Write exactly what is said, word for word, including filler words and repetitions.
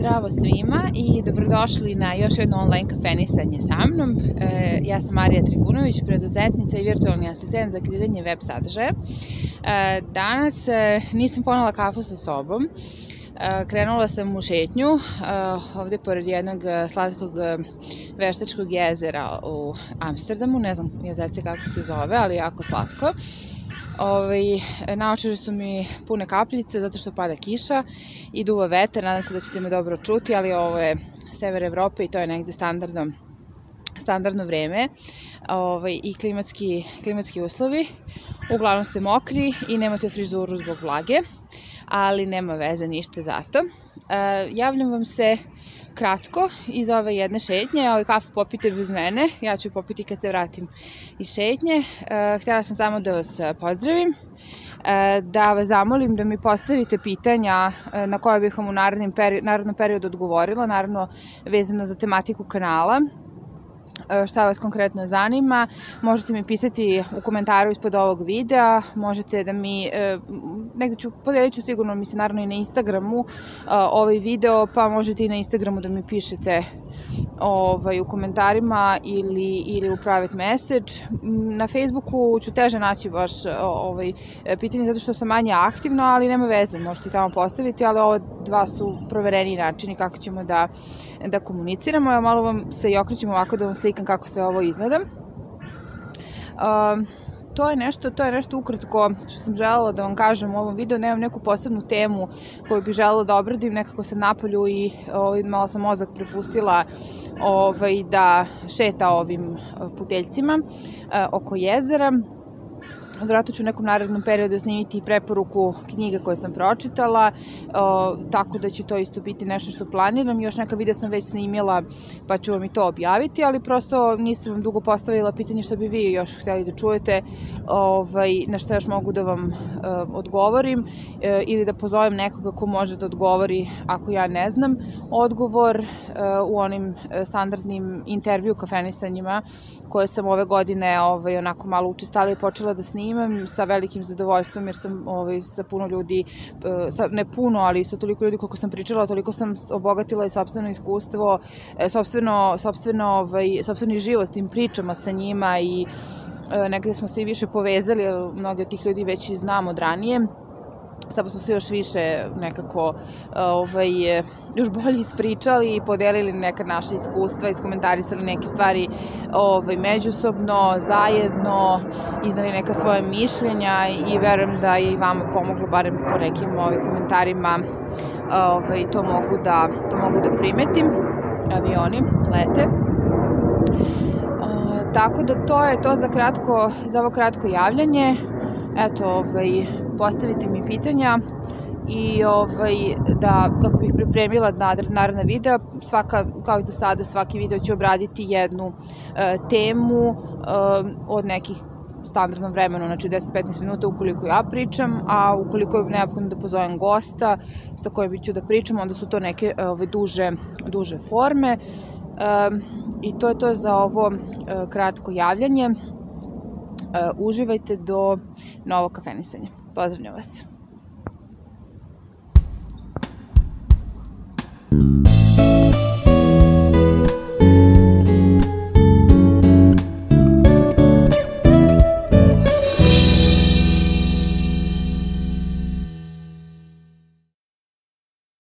Zdravo svima i dobrodošli na još jedno online kafenisanje sa mnom. E, ja sam Marija Trifunović, preduzetnica i virtualni asistent za kreiranje web sadržaja. E, danas e, nisam ponela kafu sa sobom. E, krenula sam u šetnju e, ovde pored jednog slatkog veštačkog jezera u Amsterdamu. Ne znam jezerce kako se zove, ali jako slatko. Ovaj, naočare su mi pune kapljice zato što pada kiša i duva vetar, nadam se da ćete me dobro čuti, ali ovo je sever Evrope i to je negde standardno, standardno vreme ovaj, i klimatski, klimatski uslovi. Uglavnom ste mokri i nemate frizuru zbog vlage, ali nema veze ništa zato. E, javljam vam se kratko iz ove jedne šetnje, ovaj kafu popite bez mene, ja ću popiti kad se vratim iz šetnje. E, htjela sam samo da vas pozdravim, e, da vas zamolim da mi postavite pitanja e, na koje bih vam u narednom, peri narednom periodu odgovorila, naravno vezano za tematiku kanala. Šta vas konkretno zanima, možete mi pisati u komentaru ispod ovog videa, možete da mi, negde ću, podelit ću sigurno, mislim, naravno i na Instagramu ovaj video, pa možete i na Instagramu da mi pišete ovaj, u komentarima ili, ili u private message. Na Facebooku ću teže naći baš ovaj, pitanje zato što sam manje aktivno, ali nema veze, možete i tamo postaviti, ali ovo dva su provereni načini kako ćemo da, da komuniciramo. Evo malo vam se i okrećem ovako da vam slikam kako sve ovo izgleda. Um, To je nešto, to je nešto ukratko što sam želela da vam kažem u ovom videu. Nemam neku posebnu temu koju bih želela da obradim, nekako sam napolju i ovaj, malo sam mozak prepustila ovaj, da šeta ovim puteljcima eh, oko jezera. Vjerojatno ću u nekom narednom periodu snimiti preporuku knjiga koje sam pročitala, o, tako da će to isto biti nešto što planiram. Još neka videa sam već snimila, pa ću vam i to objaviti, ali prosto nisam vam dugo postavila pitanje što bi vi još htjeli da čujete, ovaj, na što još mogu da vam e, odgovorim e, ili da pozovem nekoga ko može da odgovori ako ja ne znam odgovor e, u onim standardnim intervju kafenisanjima koje sam ove godine ovaj, onako malo učestalije počela da snimam sa velikim zadovoljstvom jer sam ovaj, sa puno ljudi, sa, ne puno, ali sa toliko ljudi koliko sam pričala, toliko sam obogatila i sopstveno iskustvo, sopstveno, sopstveno, ovaj, sopstveni život tim pričama sa njima i e, negde smo se i više povezali, jer mnogi od tih ljudi već i znam od ranije. Samo smo se još više nekako ovaj, još bolje ispričali i podelili neka naša iskustva, iskomentarisali neke stvari ovaj, međusobno, zajedno, iznali neka svoje mišljenja i verujem da je i vama pomoglo, barem po nekim ovaj, komentarima, ovaj, to, mogu da, to mogu da primetim. Avioni lete. O, tako da to je to za, kratko, za ovo kratko javljanje. Eto, ovaj, postavite mi pitanja i ovaj, da, kako bih pripremila naredna videa, svaka, kao i do sada, svaki video će obraditi jednu e, temu e, od nekih standardnom vremenu, znači deset do petnaest minuta ukoliko ja pričam, a ukoliko je neophodno da pozovem gosta sa kojim ću da pričam, onda su to neke ovaj, duže, duže forme. E, I to je to za ovo e, kratko javljanje. Uh, uživajte do novog kafenisanja. Pozdravljam vas.